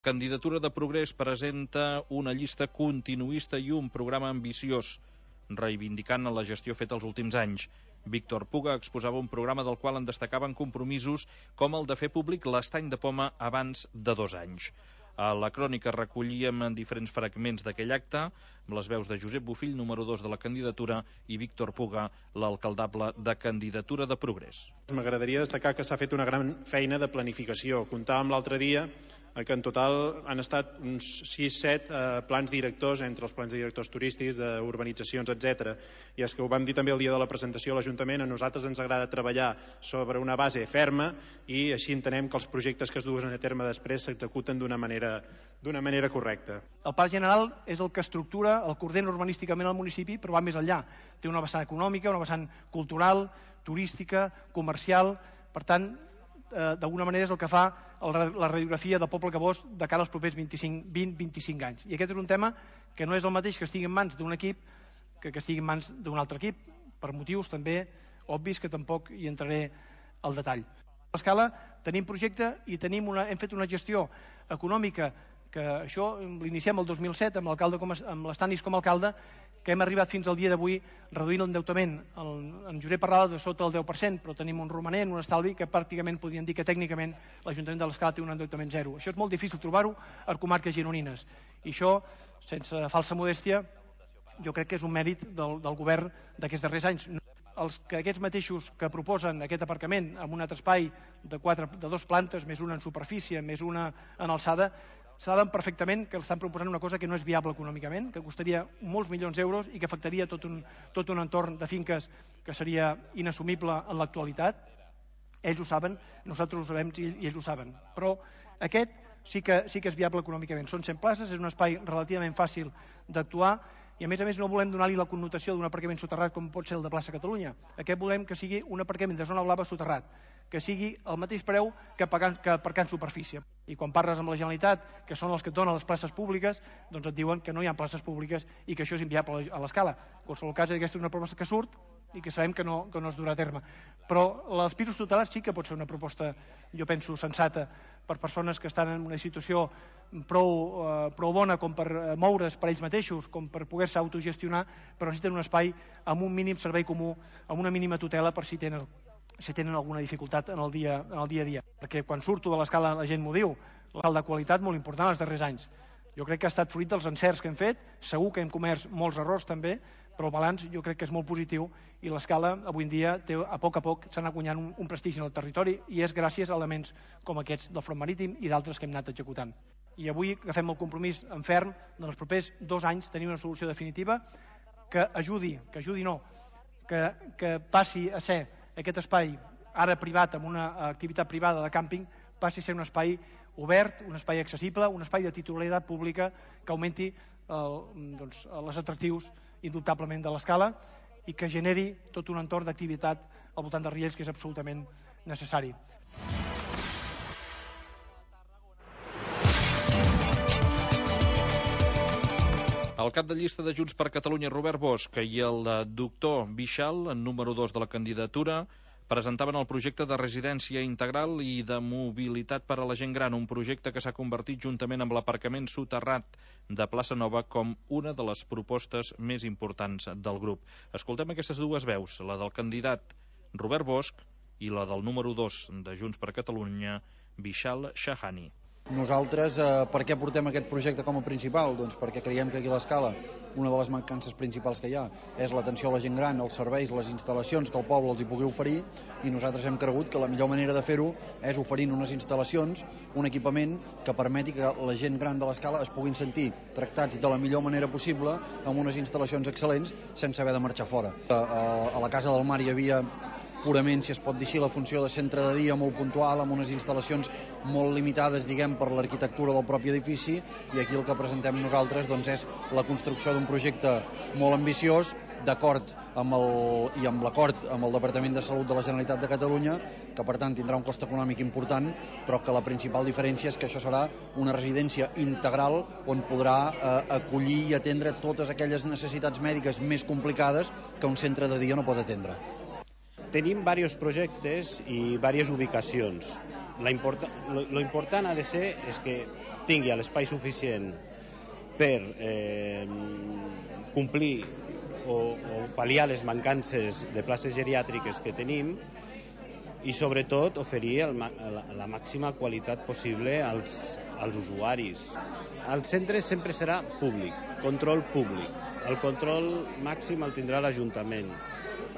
Candidatura de Progrés presenta una llista continuista i un programa ambiciós, reivindicant la gestió feta els últims anys. Víctor Puga exposava un programa del qual en destacaven compromisos com el de fer públic l'estany de poma abans de 2 anys. A la crònica recollíem diferents fragments d'aquell acte, amb les veus de Josep Bofill, número 2 de la candidatura, i Víctor Puga, l'alcaldable de Candidatura de Progrés. M'agradaria destacar que s'ha fet una gran feina de planificació. Comptàvem l'altre dia que en total han estat uns 6-7 plans directors, entre els plans directors turístics, d'urbanitzacions, etc. I és que ho vam dir també el dia de la presentació a l'Ajuntament, a nosaltres ens agrada treballar sobre una base ferma i així entenem que els projectes que es duen a terme després s'executen d'una manera correcta. El Pla General és el que estructura, el que ordena urbanísticament el municipi, però va més enllà. Té una vessant econòmica, una vessant cultural, turística, comercial. Per tant, d'alguna manera és el que fa la radiografia del poble Cabós de cara als propers 20-25 anys. I aquest és un tema que no és el mateix que estigui en mans d'un equip que estigui en mans d'un altre equip, per motius també obvis que tampoc hi entraré al detall. A l'escala tenim projecte i hem fet una gestió econòmica que això l'iniciem el 2007 amb l'Estanis com a alcalde, que hem arribat fins al dia d'avui reduint l'endeutament. En Josep parlava de sota el 10%, però tenim un romanent, un estalvi, que pràcticament podríem dir que tècnicament l'Ajuntament de l'Escala té un endeutament zero. Això és molt difícil trobar-ho a comarques gironines. I això, sense falsa modèstia, jo crec que és un mèrit del govern d'aquests darrers anys. Aquests mateixos que proposen aquest aparcament amb un altre espai de 2 plantes, més una en superfície, més una en alçada, saben perfectament que estan proposant una cosa que no és viable econòmicament, que costaria molts milions d'euros i que afectaria tot un entorn de finques que seria inassumible en l'actualitat. Ells ho saben, nosaltres ho sabem i ells ho saben. Però aquest sí que és viable econòmicament. Són 100 places, és un espai relativament fàcil d'actuar i a més no volem donar-li la connotació d'un aparcament soterrat com pot ser el de Plaça Catalunya. Aquest volem que sigui un aparcament de zona blava soterrat, que sigui el mateix preu que aparcar en superfície. I quan parles amb la Generalitat, que són els que et donen les places públiques, doncs et diuen que no hi ha places públiques i que això és inviable a l'Escala. En qualsevol cas, aquesta és una proposta que surt i que sabem que no es durà a terme. Però els pisos tutelats sí que pot ser una proposta, jo penso, sensata per persones que estan en una situació prou bona com per moure's per ells mateixos, com per poder-se autogestionar, però necessiten un espai amb un mínim servei comú, amb una mínima tutela per si tenen alguna dificultat en el dia a dia. Perquè quan surto de l'Escala la gent m'ho diu, l'alt de qualitat molt important els darrers anys. Jo crec que ha estat fruit dels encerts que hem fet, segur que hem comès molts errors també, però el balanç jo crec que és molt positiu i l'Escala avui en dia a poc s'ha anat guanyant un prestigi en el territori i és gràcies a elements com aquests del Front Marítim i d'altres que hem anat executant. I avui agafem el compromís en ferm de els propers 2 anys tenir una solució definitiva que passi a ser aquest espai ara privat amb una activitat privada de càmping passi a ser un espai obert, un espai accessible, un espai de titularitat pública que augmenti els atractius indubtablement de l'Escala i que generi tot un entorn d'activitat al voltant de Riells que és absolutament necessari. El cap de llista de Junts per Catalunya, Robert Bosch, i el doctor Bixal, número 2 de la candidatura, presentaven el projecte de residència integral i de mobilitat per a la gent gran, un projecte que s'ha convertit juntament amb l'aparcament soterrat de Plaça Nova com una de les propostes més importants del grup. Escoltem aquestes dues veus, la del candidat Robert Bosch i la del número 2 de Junts per Catalunya, Bixal Shahani. Nosaltres, per què portem aquest projecte com a principal? Doncs perquè creiem que aquí a l'Escala una de les mancances principals que hi ha és l'atenció a la gent gran, els serveis, les instal·lacions que el poble els hi pugui oferir i nosaltres hem cregut que la millor manera de fer-ho és oferint unes instal·lacions, un equipament que permeti que la gent gran de l'Escala es puguin sentir tractats de la millor manera possible amb unes instal·lacions excel·lents sense haver de marxar fora. A la Casa del Mar hi havia purament, si es pot dir així, la funció de centre de dia molt puntual, amb unes instal·lacions molt limitades, diguem, per l'arquitectura del propi edifici, i aquí el que presentem nosaltres doncs, és la construcció d'un projecte molt ambiciós, d'acord amb l'acord amb el Departament de Salut de la Generalitat de Catalunya, que per tant tindrà un cost econòmic important, però que la principal diferència és que això serà una residència integral on podrà acollir i atendre totes aquelles necessitats mèdiques més complicades que un centre de dia no pot atendre. Tenim diversos projectes i diverses ubicacions. Lo important ha de ser és que tingui l'espai suficient per complir o pal·liar les mancances de places geriàtriques que tenim i sobretot oferir la màxima qualitat possible als usuaris. El centre sempre serà públic, control públic. El control màxim el tindrà l'Ajuntament.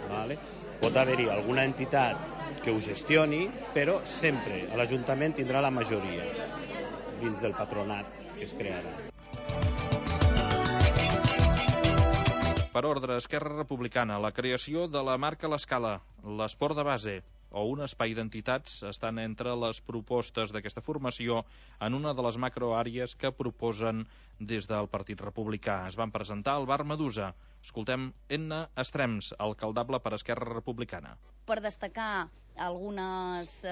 Vale? Pot haver-hi alguna entitat que ho gestioni, però sempre l'Ajuntament tindrà la majoria dins del patronat que es crearà. Per ordre, Esquerra Republicana, la creació de la marca a l'escala, l'esport de base o un espai d'entitats estan entre les propostes d'aquesta formació en una de les macroàrees que proposen des del Partit Republicà. Es van presentar al bar Medusa. Escoltem Enna Estrems, alcaldable per Esquerra Republicana. Per destacar algunes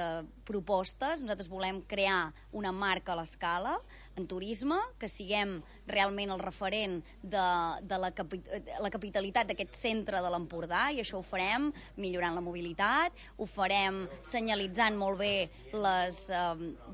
propostes, nosaltres volem crear una marca a l'escala en turisme, que siguem realment el referent de la capitalitat d'aquest centre de l'Empordà, i això ho farem millorant la mobilitat, ho farem senyalitzant molt bé les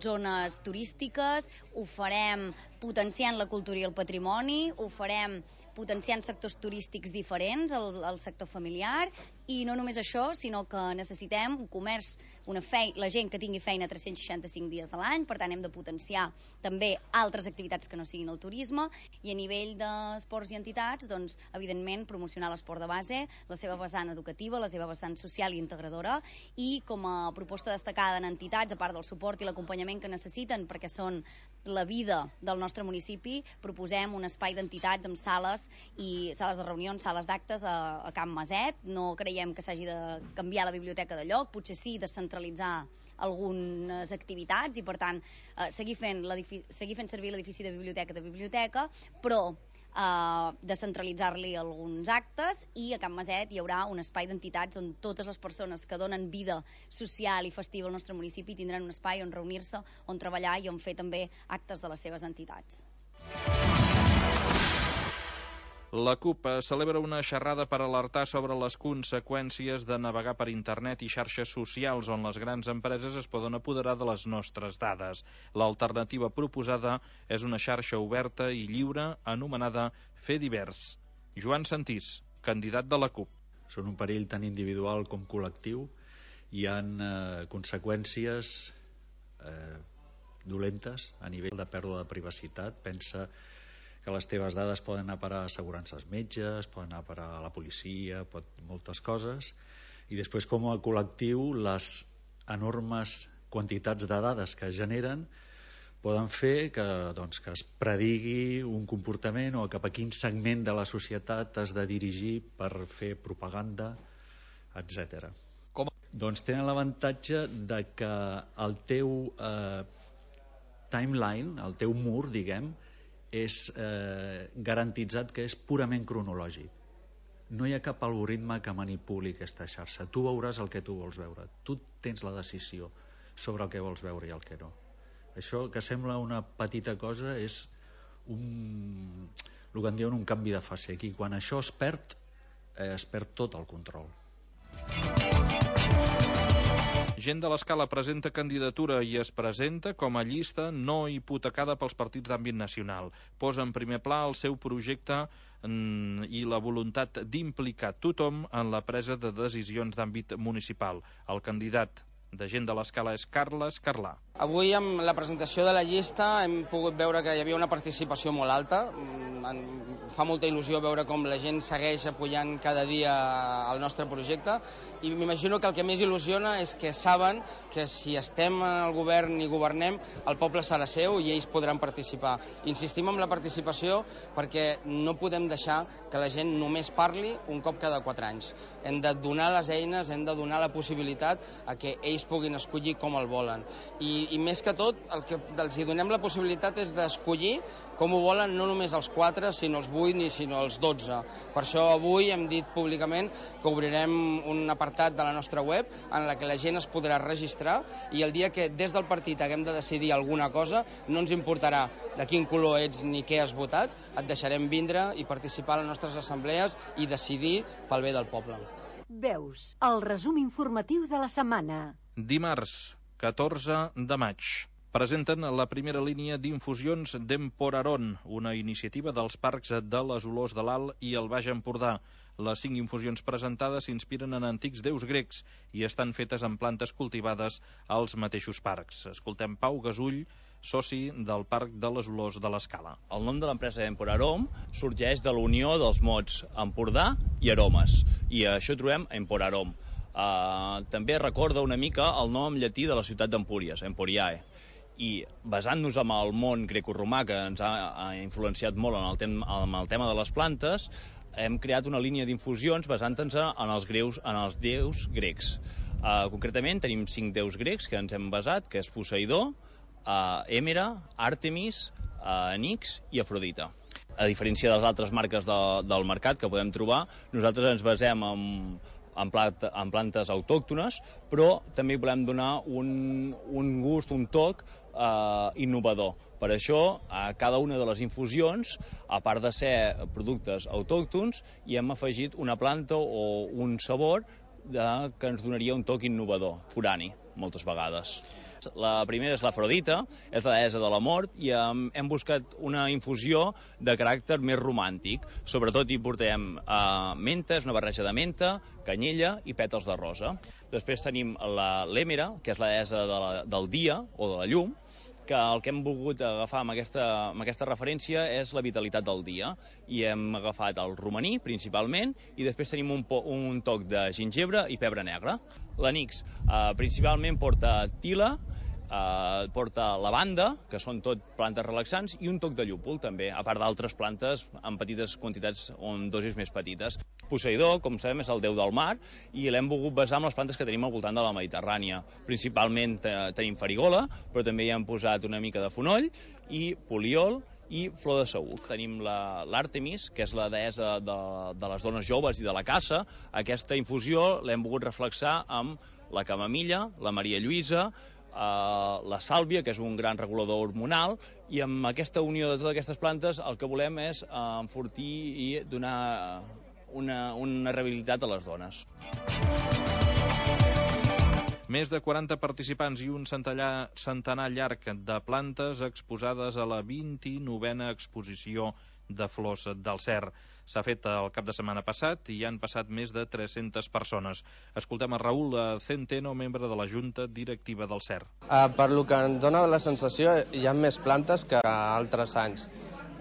zones turístiques, ho farem potenciant la cultura i el patrimoni, ho farem potenciant sectors turístics diferents, el sector familiar, i no només això, sinó que necessitem un comerç, la gent que tingui feina 365 dies a l'any, per tant hem de potenciar també altres activitats que no siguin el turisme, i a nivell d'esports i entitats, doncs, evidentment, promocionar l'esport de base, la seva vessant educativa, la seva vessant social i integradora, i com a proposta destacada en entitats, a part del suport i l'acompanyament que necessiten, perquè són la vida del nostre municipi, proposem un espai d'entitats amb sales i sales de reunions, sales d'actes a Can Maset. No creiem que s'hagi de canviar la biblioteca de lloc, potser sí descentralitzar algunes activitats i per tant seguir fent servir l'edifici de biblioteca, però descentralitzar-li alguns actes, i a Can Maset hi haurà un espai d'entitats on totes les persones que donen vida social i festiva al nostre municipi tindran un espai on reunir-se, on treballar i on fer també actes de les seves entitats. La CUP celebra una xerrada per alertar sobre les conseqüències de navegar per internet i xarxes socials on les grans empreses es poden apoderar de les nostres dades. L'alternativa proposada és una xarxa oberta i lliure anomenada Fedivers. Joan Santís, candidat de la CUP. Són un perill tan individual com col·lectiu. Hi ha conseqüències dolentes a nivell de pèrdua de privacitat. Pensa que les teves dades poden anar a parar a assegurances metges, poden anar a parar a la policia, moltes coses, i després com a col·lectiu les enormes quantitats de dades que es generen poden fer que es predigui un comportament o cap a quin segment de la societat has de dirigir per fer propaganda, etc. Doncs tenen l'avantatge de que el teu timeline, el teu mur, diguem, és garantitzat que és purament cronològic. No hi ha cap algoritme que manipuli aquesta xarxa. Tu veuràs el que tu vols veure. Tu tens la decisió sobre el que vols veure i el que no. Això, que sembla una petita cosa, és el que en diuen un canvi de fase. Aquí, quan això es perd tot el control. Gent de l'Escala presenta candidatura i es presenta com a llista no hipotecada pels partits d'àmbit nacional. Posa en primer pla el seu projecte i la voluntat d'implicar tothom en la presa de decisions d'àmbit municipal. El candidat de Gent de l'Escala és Carles Carlà. Avui, amb la presentació de la llista, hem pogut veure que hi havia una participació molt alta. Fa molta il·lusió veure com la gent segueix apoyant cada dia el nostre projecte, i m'imagino que el que més il·lusiona és que saben que si estem al govern i governem, el poble serà seu i ells podran participar. Insistim en la participació perquè no podem deixar que la gent només parli un cop cada 4 anys. Hem de donar les eines, hem de donar la possibilitat a que ells puguin escollir com el volen. I més que tot, el que els donem la possibilitat és d'escollir com ho volen, no només els 4, sinó els 8 ni sinó els 12. Per això avui hem dit públicament que obrirem un apartat de la nostra web en la que la gent es podrà registrar, i el dia que des del partit haguem de decidir alguna cosa, no ens importarà de quin color ets ni què has votat, et deixarem vindre i participar a les nostres assemblees i decidir pel bé del poble. Veus, el resum informatiu de la setmana. Dimarts, 14 de maig. presenten la primera línia d'infusions d'Emporarón, una iniciativa dels parcs de les Olors de l'Alt i el Baix Empordà. Les 5 infusions presentades s'inspiren en antics déus grecs i estan fetes en plantes cultivades als mateixos parcs. Escoltem Pau Gasull, soci del Parc de les Olors de l'Escala. El nom de l'empresa Emporarón sorgeix de la unió dels mots Empordà i aromes, i això trobem Emporarón. També recorda una mica el nom llatí de la ciutat d'Empúries, Emporiae. I basant-nos en el món grecorromà, que ens ha influenciat molt en el tema de les plantes, hem creat una línia d'infusions basant-nos en els déus grecs. Concretament tenim 5 déus grecs que ens hem basat, que és Poseidó, Èmera, Àrtemis, Nix i Afrodita. A diferència de les altres marques del mercat que podem trobar, nosaltres ens basem en plantes autòctones, però també volem donar un gust, un toc innovador. Per això, a cada una de les infusions, a part de ser productes autòctons, hi hem afegit una planta o un sabor que ens donaria un toc innovador, forani, moltes vegades. La primera és l'Afrodita, és la deessa de la mort, i hem buscat una infusió de caràcter més romàntic. Sobretot hi portem menta, és una barreja de menta, canyella i pètals de rosa. Després tenim l'Èmera, que és la deessa del dia o de la llum, que el que hem volgut agafar amb aquesta referència és la vitalitat del dia. I hem agafat el romaní, principalment, i després tenim un toc de gingebre i pebre negre. L'Anix principalment porta tila, porta lavanda, que són tot plantes relaxants, i un toc de llúpol també, a part d'altres plantes en petites quantitats o en dosis més petites. Poseidó, com sabem, és el déu del mar, i l'hem volgut basar en les plantes que tenim al voltant de la Mediterrània. Principalment tenim farigola, però també hi hem posat una mica de fonoll i poliol i flor de saüc. Tenim l'Àrtemis, que és la deessa de les dones joves i de la caça. Aquesta infusió l'hem volgut reflexar amb la camamilla, la Maria Lluïsa, la sàlvia, que és un gran regulador hormonal, i amb aquesta unió de totes aquestes plantes el que volem és enfortir i donar una rehabilitat a les dones. Més de 40 participants i un centenar llarg de plantes exposades a la 29a exposició de flors del Cer. S'ha fet el cap de setmana passat i hi han passat més de 300 persones. Escoltem a Raül Centeno, membre de la Junta Directiva del Cer. Per lo que ens dona la sensació, hi ha més plantes que altres anys.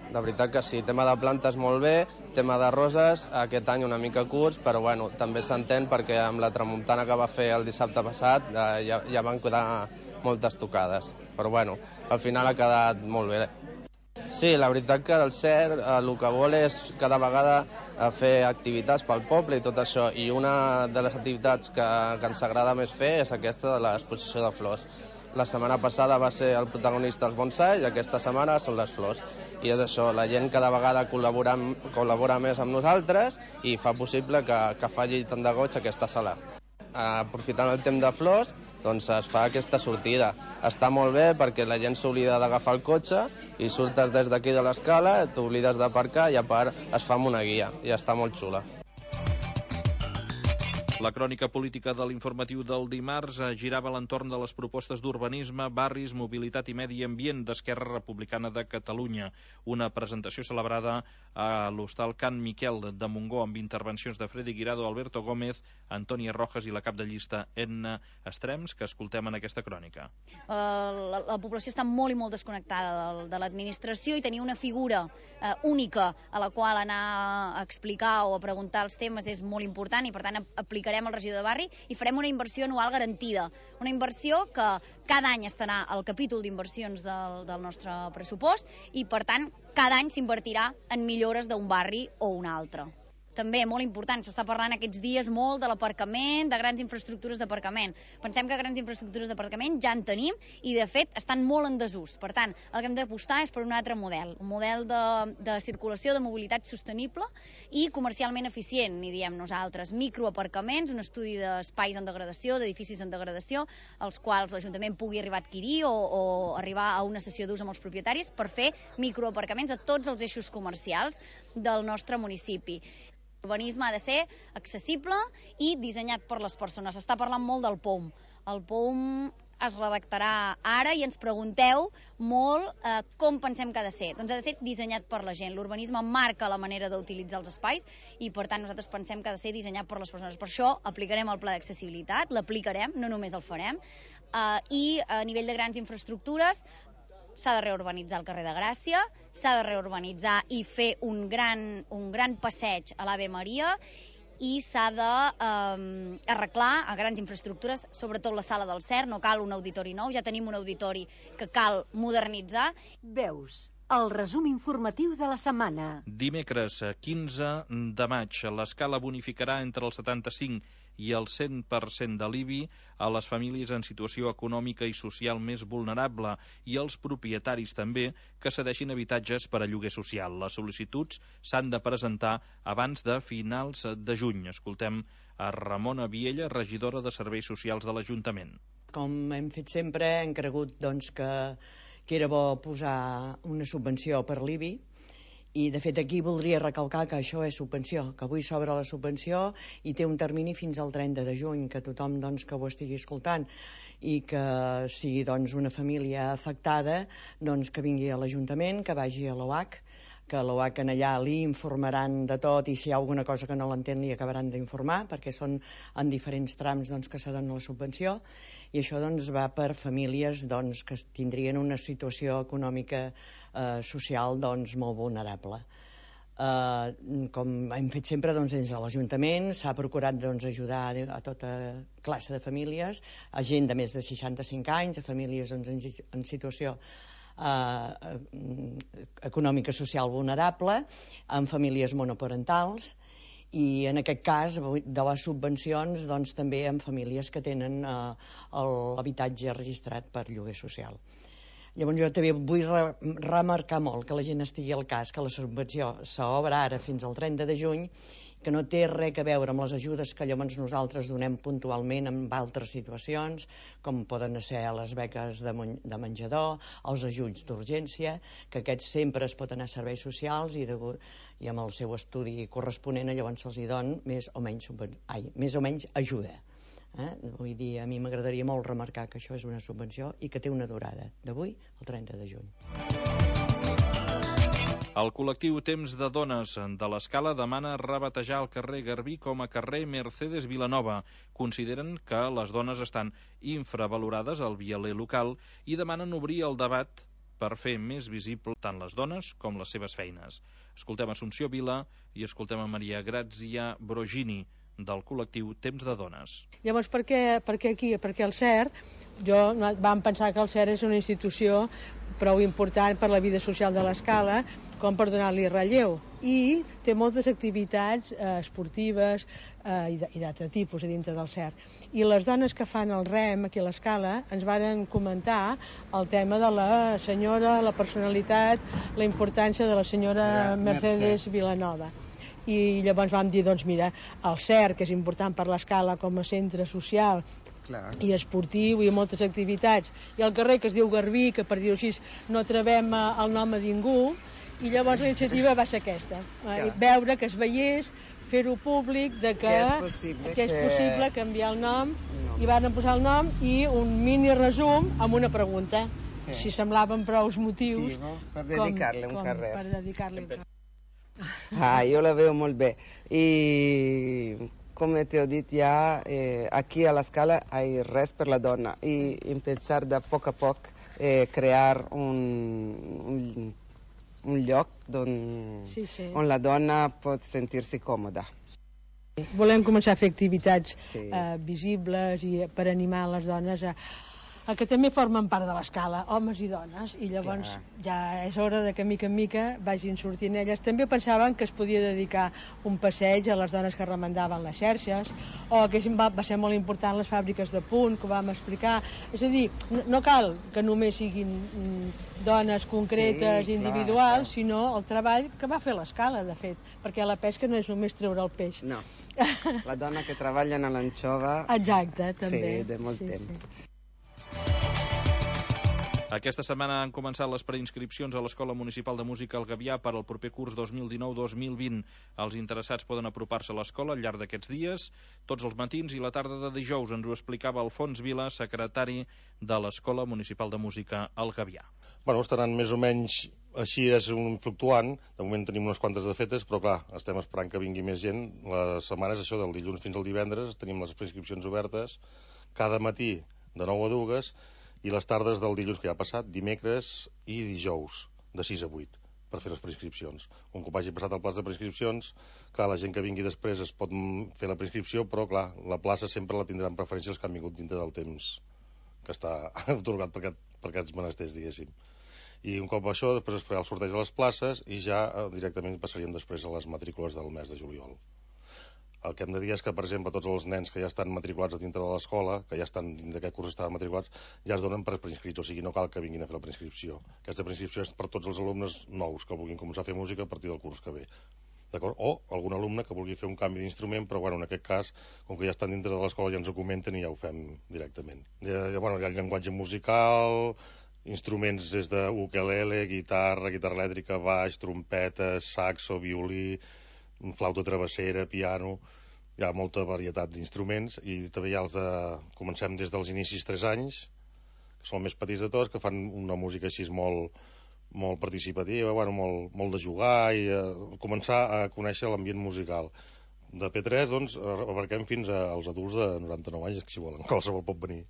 De veritat que sí, tema de plantes molt bé, tema de roses, aquest any una mica curts, però bueno, també s'entén perquè amb la tramuntana que va fer el dissabte passat ja van quedar moltes tocades. Però bueno, al final ha quedat molt bé. Sí, la veritat que el Cer el que vol és cada vegada fer activitats pel poble i tot això, i una de les activitats que ens agrada més fer és aquesta de l'exposició de flors. La setmana passada va ser el protagonista els bonsai i aquesta setmana són les flors. I és això, la gent cada vegada col·labora més amb nosaltres i fa possible que faci tant de goig aquesta sala. Aprofitant el temps de flors, doncs es fa aquesta sortida. Està molt bé perquè la gent s'oblida d'agafar el cotxe i surtes des d'aquí de l'escala, t'oblides d'aparcar i a part es fa amb una guia i està molt xula. La crònica política de l'informatiu del dimarts girava a l'entorn de les propostes d'urbanisme, barris, mobilitat i medi ambient d'Esquerra Republicana de Catalunya. Una presentació celebrada a l'Hostal Can Miquel de Montgó amb intervencions de Freddy Guirado, Alberto Gómez, Antònia Rojas i la cap de llista Edna Estrems, que escoltem en aquesta crònica. La població està molt i molt desconnectada de l'administració i tenir una figura única a la qual anar a explicar o a preguntar els temes és molt important i per tant aplicarem el regidor de barri i farem una inversió anual garantida. Una inversió que cada any estarà al capítol d'inversions del nostre pressupost i per tant cada any s'invertirà en millores d'un barri o un altre. També, molt important, s'està parlant aquests dies molt de l'aparcament, de grans infraestructures d'aparcament. Pensem que grans infraestructures d'aparcament ja en tenim i, de fet, estan molt en desús. Per tant, el que hem d'apostar és per un altre model, un model de circulació, de mobilitat sostenible i comercialment eficient, n'hi diem nosaltres. Microaparcaments, un estudi d'espais en degradació, d'edificis en degradació, els quals l'Ajuntament pugui arribar a adquirir o arribar a una cessió d'ús amb els propietaris per fer microaparcaments a tots els eixos comercials del nostre municipi. L'urbanisme ha de ser accessible i dissenyat per les persones. S'està parlant molt del POM. El POM es redactarà ara i ens pregunteu molt com pensem que ha de ser. Doncs ha de ser dissenyat per la gent. L'urbanisme marca la manera d'utilitzar els espais i, per tant, nosaltres pensem que ha de ser dissenyat per les persones. Per això aplicarem el pla d'accessibilitat, l'aplicarem, no només el farem, i a nivell de grans infraestructures s'ha de reurbanitzar el carrer de Gràcia, s'ha de reurbanitzar i fer un gran passeig a l'Ave Maria, i s'ha d'arreglar a grans infraestructures, sobretot la sala del CERN. No cal un auditori nou, ja tenim un auditori que cal modernitzar. Veus, el resum informatiu de la setmana. Dimecres 15 de maig, l'Escala bonificarà entre el 75 i el 100% de l'IBI a les famílies en situació econòmica i social més vulnerable i als propietaris també que cedeixin habitatges per a lloguer social. Les sol·licituds s'han de presentar abans de finals de juny. Escoltem a Ramona Viella, regidora de Serveis Socials de l'Ajuntament. Com hem fet sempre, hem cregut que era bo posar una subvenció per l'IBI. I, de fet, aquí voldria recalcar que això és subvenció, que avui s'obre la subvenció i té un termini fins al 30 de juny, que tothom que ho estigui escoltant i que sigui una família afectada, que vingui a l'Ajuntament, que vagi a l'OAC, que a l'OAC allà li informaran de tot i si hi ha alguna cosa que no l'entén li acabaran d'informar, perquè són en diferents trams que se dona la subvenció, i això va per famílies que tindrien una situació econòmica social molt vulnerable. Com hem fet sempre des de l'Ajuntament, s'ha procurat ajudar a tota classe de famílies, a gent de més de 65 anys, a famílies en situació econòmica social vulnerable, en famílies monoparentals, i en aquest cas de les subvencions també en famílies que tenen l'habitatge registrat per lloguer social. Llavors jo també vull remarcar molt que la gent estigui al cas que la subvenció s'obre ara fins al 30 de juny, que no té res a veure amb les ajudes que llavors nosaltres donem puntualment en altres situacions, com poden ser les beques de menjador, els ajuts d'urgència, que aquests sempre es pot anar a serveis socials i amb el seu estudi corresponent llavors se'ls dona més o menys ajuda. Vull dir, a mi m'agradaria molt remarcar que això és una subvenció i que té una durada d'avui al 30 de juny. El col·lectiu Temps de Dones de l'Escala demana rebatejar el carrer Garbí com a carrer Mercedes Vilanova. Consideren que les dones estan infravalorades al vialer local i demanen obrir el debat per fer més visible tant les dones com les seves feines. Escoltem Assumpció Vila i escoltem a Maria Grazia Brogini, del col·lectiu Temps de Dones. Llavors, per què aquí? Perquè el CER, vam pensar que el CER és una institució prou important per la vida social de l'Escala com per donar-li relleu, i té moltes activitats esportives i d'altre tipus a dintre del CER. I les dones que fan el rem aquí a l'Escala ens van comentar el tema de la senyora, la personalitat, la importància de la senyora Mercedes Vilanova. I llavors vam dir, mira, el CER, que és important per l'Escala com a centre social i esportiu i moltes activitats, i el carrer que es diu Garbí, que per dir-ho així no trevem el nom a ningú, i llavors la iniciativa va ser aquesta, veure que es veiés, fer-ho públic, que és possible canviar el nom, i van posar el nom i un mini resum amb una pregunta, si semblaven prou motius per dedicar-li un carrer. Per dedicar-li un carrer. Io la vedo molto bene e come ti ho detto già qui alla Scala hai res per la donna e pensare da poco a poco creare un lloc on la donna pot sentir-se còmoda. Volem començar a fer activitats visibles i per animar les dones a que també formen part de l'Escala, homes i dones, i llavors ja és hora que mica en mica vagin sortint elles. També pensaven que es podia dedicar un passeig a les dones que remendaven les xarxes, o que va ser molt important les fàbriques de punt, que ho vam explicar. És a dir, no cal que només siguin dones concretes, individuals, sinó el treball que va fer l'Escala, de fet, perquè la pesca no és només treure el peix. No, la dona que treballa a l'anxova... Exacte, també. Sí, de molt temps. Aquesta setmana han començat les preinscripcions a l'Escola Municipal de Música El Gavià per al proper curs 2019-2020. Els interessats poden apropar-se a l'escola al llarg d'aquests dies, tots els matins i la tarda de dijous. Ens ho explicava Alfons Vila, secretari de l'Escola Municipal de Música El Gavià. Bueno, estaran més o menys així, és un fluctuant. De moment tenim unes quantes de fetes, però clar, estem esperant que vingui més gent. Les setmanes, això, del dilluns fins al divendres, tenim les preinscripcions obertes cada matí de 9 a 2 i les tardes del dilluns que ja ha passat, dimecres i dijous, de 6 a 8, per fer les preinscripcions. Un cop hagi passat el plaç de preinscripcions, clar, la gent que vingui després es pot fer la preinscripció, però clar, la plaça sempre la tindran preferència els que han vingut dintre del temps que està atorgat per aquests menesters, diguéssim. I un cop això, després es farà el sorteig de les places i ja directament passaríem després a les matrícules del mes de juliol. El que hem de dir és que, per exemple, tots els nens que ja estan matriculats a dintre de l'escola, que ja estan dins d'aquest curs estaven matriculats, ja es donen per preinscrits, o sigui, no cal que vinguin a fer la preinscripció. Aquesta preinscripció és per tots els alumnes nous que vulguin començar a fer música a partir del curs que ve. D'acord? O algun alumne que vulgui fer un canvi d'instrument, però bueno, en aquest cas, com que ja estan dintre de l'escola, ja ens ho comenten i ja ho fem directament. Hi ha llenguatge musical, instruments des de ukelele, guitarra elèctrica, baix, trompeta, saxo, violí, flauta travessera, piano. Hi ha molta varietat d'instruments i també hi ha els de... Comencem des dels inicis 3 anys, que són els més petits de tots, que fan una música així molt participativa, bueno, molt de jugar i començar a conèixer l'ambient musical. De P3, doncs, abarquem fins als adults de 99 anys, que si volen, qualsevol pot venir.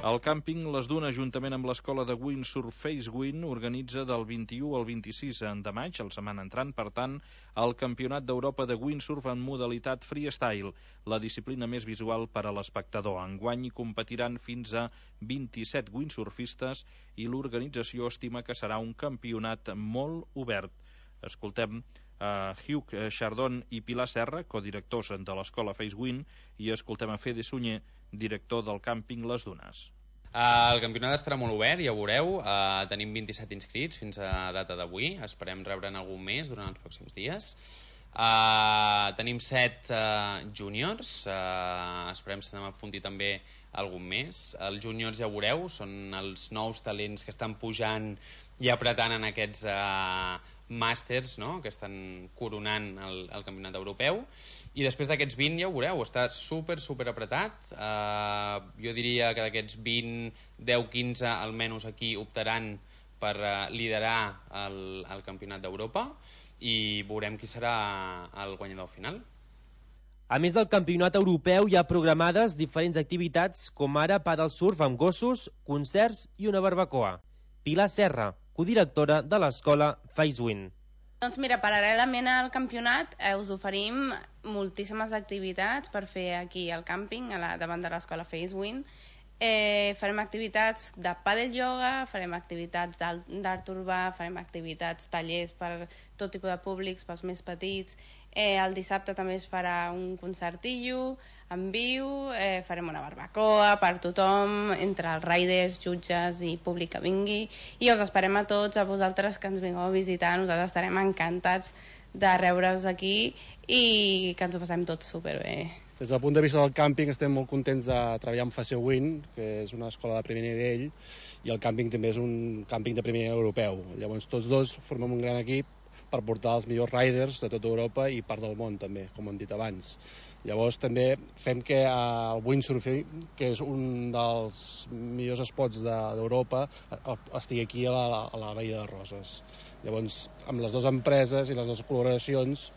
El càmping Les Dunes, juntament amb l'escola de windsurf FaceWind, organitza del 21 al 26 de maig, la setmana entrant, per tant, el Campionat d'Europa de windsurf en modalitat freestyle, la disciplina més visual per a l'espectador. Enguany hi competiran fins a 27 windsurfistes i l'organització estima que serà un campionat molt obert. Escoltem Hugh Chardon i Pilar Serra, codirectors de l'escola FaceWind, i escoltem a Fede Sunyer, director del càmping Les Dunes. El campionat estarà molt obert, ja ho veureu. Tenim 27 inscrits fins a data d'avui. Esperem rebre'n algun més durant els pròxims dies. Tenim 7 júniors. Esperem que se n'apunti també algun més. Els júniors, ja ho veureu, són els nous talents que estan pujant i apretant en aquests màsters, no?, que estan coronant el campionat europeu. I després d'aquests 20, ja ho veureu, està super apretat. Jo diria que d'aquests 20, 10-15 almenys aquí optaran per liderar el campionat d'Europa i veurem qui serà el guanyador final. A més del campionat europeu hi ha programades diferents activitats com ara paddle surf amb gossos, concerts i una barbacoa. Pilar Serra, codirectora de l'escola FaceWind. Doncs mira, paral·lelament al campionat us oferim moltíssimes activitats per fer aquí al càmping, davant de l'escola FaceWind. Farem activitats de pàdel ioga, farem activitats d'art urbà, farem activitats, tallers per tot tipus de públics, pels més petits. El dissabte també es farà un concertillo en viu, farem una barbacoa per tothom, entre els riders, jutges i públic que vingui, i us esperem a tots, a vosaltres que ens vingueu a visitar. Nosaltres estarem encantats de rebre-us aquí i que ens ho passem tots superbé. Des del punt de vista del càmping estem molt contents de treballar amb FaceWind, que és una escola de primer nivell, i el càmping també és un càmping de primer nivell europeu. Llavors tots dos formem un gran equip per portar els millors riders de tota Europa i part del món també, com hem dit abans. Llavors també fem que el windsurfing, que és un dels millors esports d'Europa, estigui aquí a la Badia de Roses. Llavors, amb les dues empreses i les dues col·laboracions,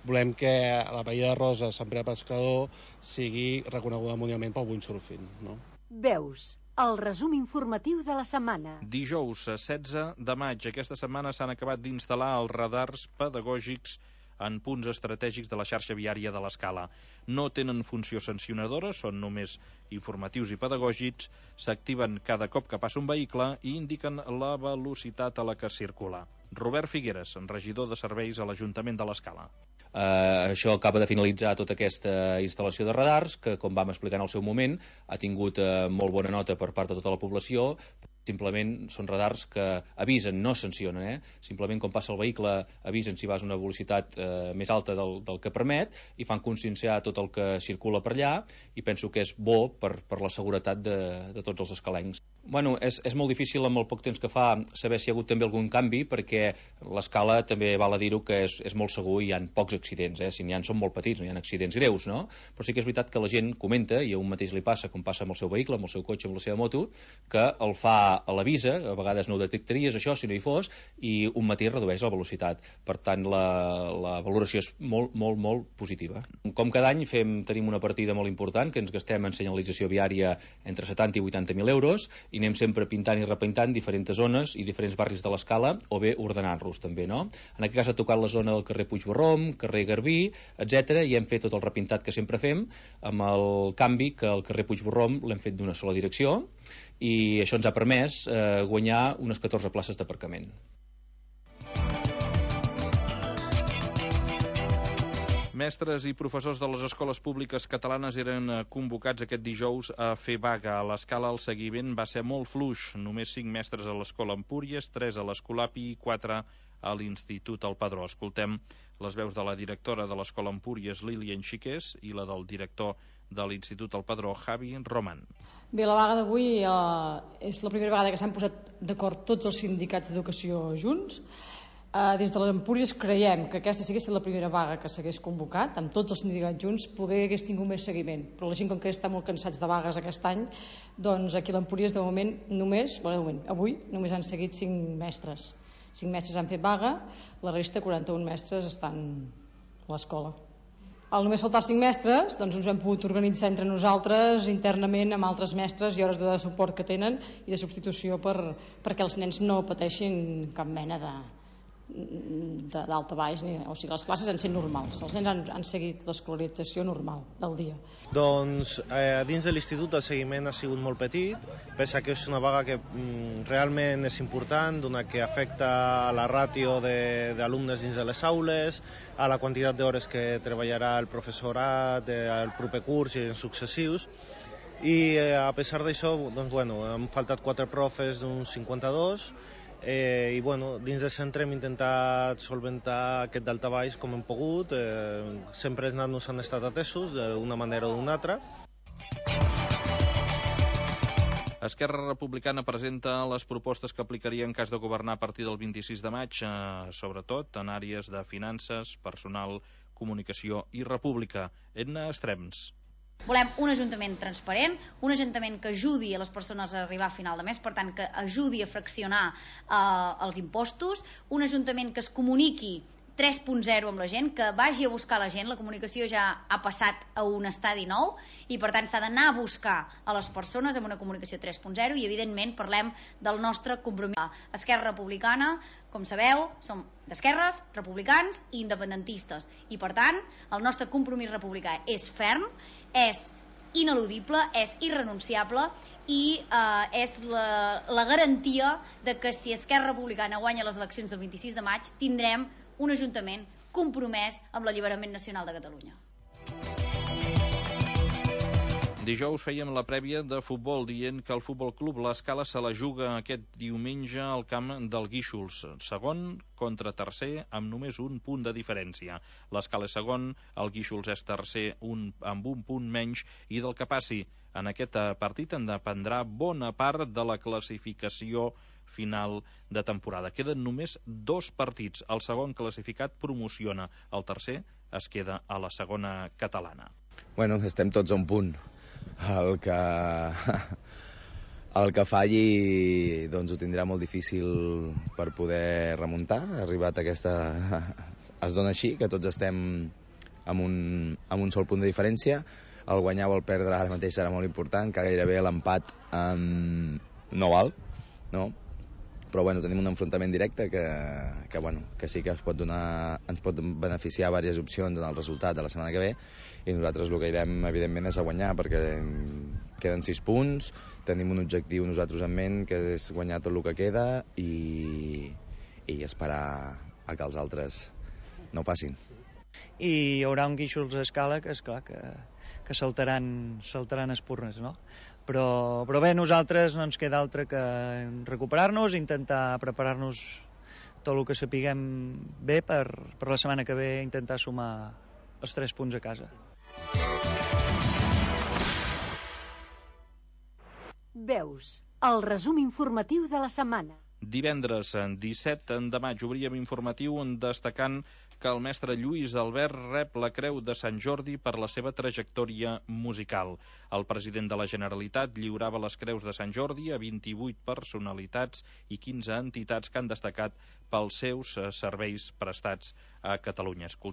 volem que la Badia de Roses, Sant Pere Pescador, sigui reconeguda mundialment pel windsurfing, no? Veus, el resum informatiu de la setmana. Dijous 16 de maig. Aquesta setmana s'han acabat d'instal·lar els radars pedagògics en punts estratègics de la xarxa viària de l'Escala. No tenen funció sancionadora, són només informatius i pedagògics, s'activen cada cop que passa un vehicle i indiquen la velocitat a la que circula. Robert Figueres, regidor de serveis a l'Ajuntament de l'Escala. Això acaba de finalitzar tota aquesta instal·lació de radars que, com vam explicar en el seu moment, ha tingut molt bona nota per part de tota la població. Simplement són radars que avisen, no sancionen, Simplement quan passa el vehicle avisen si vas a una velocitat més alta del que permet i fan conscienciar tot el que circula per allà, i penso que és bo per la seguretat de tots els escalencs. Bueno, és molt difícil amb el poc temps que fa saber si hi ha hagut també algun canvi, perquè l'escala també val a dir-ho que és molt segur i hi ha pocs accidents, si n'hi ha són molt petits, no hi ha accidents greus, no? Però sí que és veritat que la gent comenta, i a un mateix li passa com passa amb el seu vehicle, amb el seu cotxe, amb la seva moto, que el fa a l'avisa, a vegades no ho detectaries això si no hi fos, i un matí redueix la velocitat. Per tant, la valoració és molt, molt, molt positiva. Com cada any tenim una partida molt important, que ens gastem en senyalització viària entre 70 i 80.000 euros, i anem sempre pintant i repintant diferents zones i diferents barris de l'Escala, o bé ordenant-los també, no? En aquest cas ha tocat la zona del carrer Puigborróm, carrer Garbí, etc., i hem fet tot el repintat que sempre fem, amb el canvi que el carrer Puigborróm l'hem fet d'una sola direcció, i això ens ha permès guanyar unes 14 places d'aparcament. Mestres i professors de les escoles públiques catalanes eren convocats aquest dijous a fer vaga. A l'Escala el seguiment va ser molt fluix. Només 5 mestres a l'Escola Empúries, 3 a l'Escolapi i 4 a l'Institut El Padró. Escoltem les veus de la directora de l'Escola Empúries, Lilian Xiqués, i la del director de l'Institut El Padró, Javi Roman. Bé, la vaga d'avui és la primera vegada que s'han posat d'acord tots els sindicats d'educació junts. Des de l'Empúries creiem que aquesta si hagués estat la primera vaga que s'hagués convocat, amb tots els sindicats junts, hagués tingut més seguiment. Però la gent, com que està molt cansats de vagues aquest any, doncs aquí a l'Empúries de moment avui només han seguit 5 mestres. 5 mestres han fet vaga, la resta, 41 mestres, estan a l'escola. Al només faltar 5 mestres, doncs ens hem pogut organitzar entre nosaltres internament amb altres mestres i hores de suport que tenen i de substitució perquè els nens no pateixin cap mena d'alta baix, o sigui, les classes han sigut normals, els nens han seguit l'escolarització normal del dia. Doncs dins de l'institut el seguiment ha sigut molt petit, pensa que és una vaga que realment és important, donat que afecta a la ràtio d'alumnes dins de les aules, a la quantitat d'hores que treballarà el professorat el proper curs i en successius, i a pesar d'això doncs, han faltat 4 profes d'uns 52, i dins del centre hem intentat solventar aquest daltabaix com hem pogut, sempre els nanos han estat atesos d'una manera o d'una altra. Esquerra Republicana presenta les propostes que aplicaria en cas de governar a partir del 26 de maig, sobretot en àrees de finances, personal, comunicació i república. Edna Estrems. Volem un ajuntament transparent, un ajuntament que ajudi a les persones a arribar a final de mes, per tant que ajudi a fraccionar els impostos, un ajuntament que es comuniqui 3.0 amb la gent, que vagi a buscar la gent. La comunicació ja ha passat a un estadi nou i per tant s'ha d'anar a buscar a les persones amb una comunicació 3.0 i evidentment parlem del nostre compromís. Esquerra Republicana, com sabeu, som d'esquerres, republicans i independentistes i per tant el nostre compromís republicà és ferm, és ineludible, és irrenunciable i és la garantia de que si Esquerra Republicana guanya les eleccions del 26 de maig tindrem un ajuntament compromès amb l'alliberament nacional de Catalunya. Dijous fèiem la prèvia de futbol dient que el Futbol Club l'Escala se la juga aquest diumenge al camp del Guíxols, segon contra tercer amb només un punt de diferència. L'Escala és segon, el Guíxols és tercer amb un punt menys i del que passi en aquest partit en dependrà bona part de la classificació final de temporada. Queden només 2 partits. El segon classificat promociona, el tercer es queda a la segona catalana. Bueno, estem tots a un punt. El que falli doncs ho tindrà molt difícil per poder remuntar. Ha arribat es dona així, que tots estem amb un sol punt de diferència. El guanyar o el perdre ara mateix serà molt important, que gairebé l'empat no val, no? Però tenim un enfrontament directe que sí que ens pot beneficiar diverses opcions en el resultat de la setmana que ve i nosaltres el que irem evidentment és a guanyar perquè queden 6 punts, tenim un objectiu nosaltres en ment que és guanyar tot el que queda i esperar a que els altres no ho facin. I hi haurà un Guíxols a Escala que és clar que saltaran espurnes, no? Però bé, nosaltres no ens queda altre que recuperar-nos, intentar preparar-nos tot el que sapiguem bé per la setmana que ve intentar sumar els 3 punts a casa. Veus, el resum informatiu de la setmana. Divendres 17 de maig obríem informatiu destacant que el mestre Lluís Albert rep la Creu de Sant Jordi per la seva trajectòria musical. El president de la Generalitat lliurava les Creus de Sant Jordi a 28 personalitats i 15 entitats que han destacat pels seus serveis prestats a Catalunya.